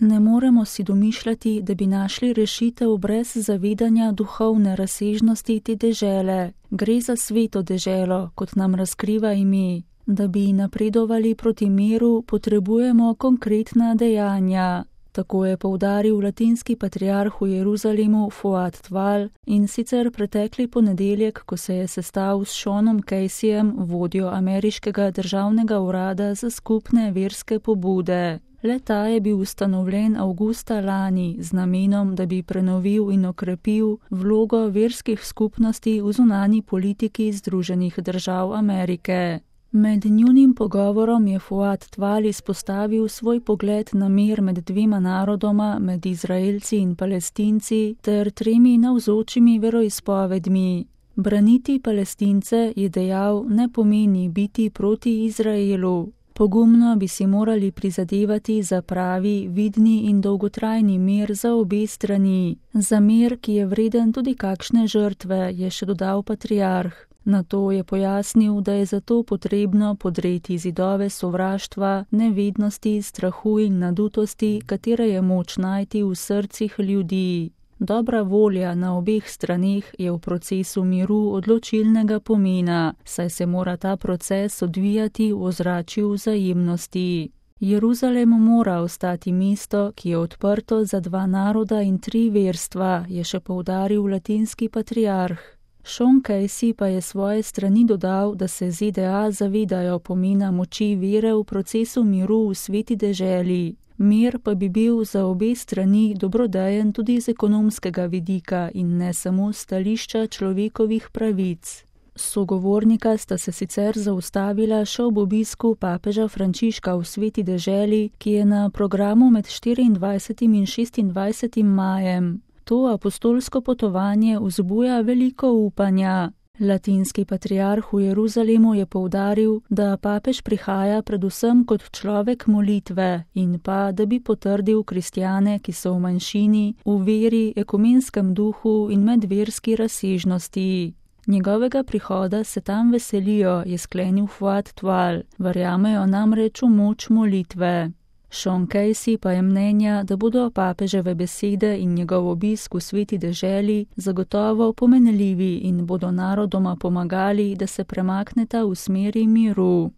Ne moremo si domišljati, da bi našli rešitev brez zavedanja duhovne razsežnosti te dežele. Gre za sveto deželo, kot nam razkriva ime. Da bi napredovali proti miru, potrebujemo konkretna dejanja. Tako je poudaril latinski patriarh v Jeruzalemu Fuad Tval, in sicer pretekli ponedeljek, ko se je sestal s Seanom Caseyjem, vodjo ameriškega državnega urada za skupne verske pobude. Le-ta je bil ustanovljen avgusta lani z namenom, da bi prenovil in okrepil vlogo verskih skupnosti v zunanji politiki Združenih držav Amerike. Med njunim pogovorom je Fuad Tval izpostavil svoj pogled na mir med dvema narodoma, med Izraelci in Palestinci, ter 3 navzočimi veroizpovedmi. Braniti Palestince, je dejal, ne pomeni biti proti Izraelu. Pogumno bi si morali prizadevati za pravi, vidni in dolgotrajni mir za obe strani. Za mir, ki je vreden tudi kakšne žrtve, je še dodal patriarh. Nato je pojasnil, da je zato potrebno podreti zidove sovraštva, nevednosti, strahu in nadutosti, katere je moč najti v srcih ljudi. Dobra volja na obeh straneh je v procesu miru odločilnega pomena, saj se mora ta proces odvijati v ozračju vzajemnosti. Jeruzalem mora ostati mesto, ki je odprto za 2 naroda in 3 verstva, je še poudaril latinski patriarh. Sean Casey pa je svoje strani dodal, da se ZDA zavedajo pomena moči vere v procesu miru v sveti deželi. Mir pa bi bil za obe strani dobrodejen tudi z ekonomskega vidika in ne samo stališča človekovih pravic. Sogovornika sta se sicer zaustavila še ob obisku papeža Frančiška v sveti deželi, ki je na programu med 24. in 26. majem. To apostolsko potovanje vzbuja veliko upanja. Latinski patriarh v Jeruzalemu je poudaril, da papež prihaja predvsem kot človek molitve in pa, da bi potrdil kristjane, ki so v manjšini, v veri, ekumenskem duhu in medverski razsežnosti. Njegovega prihoda se tam veselijo, je sklenil Fuad Tval, verjamejo namreč v moč molitve. Sean Casey pa je mnenja, da bodo papeževe besede in njegov obisk v sveti deželi zagotovo pomenljivi in bodo narodoma pomagali, da se premakneta v smeri miru.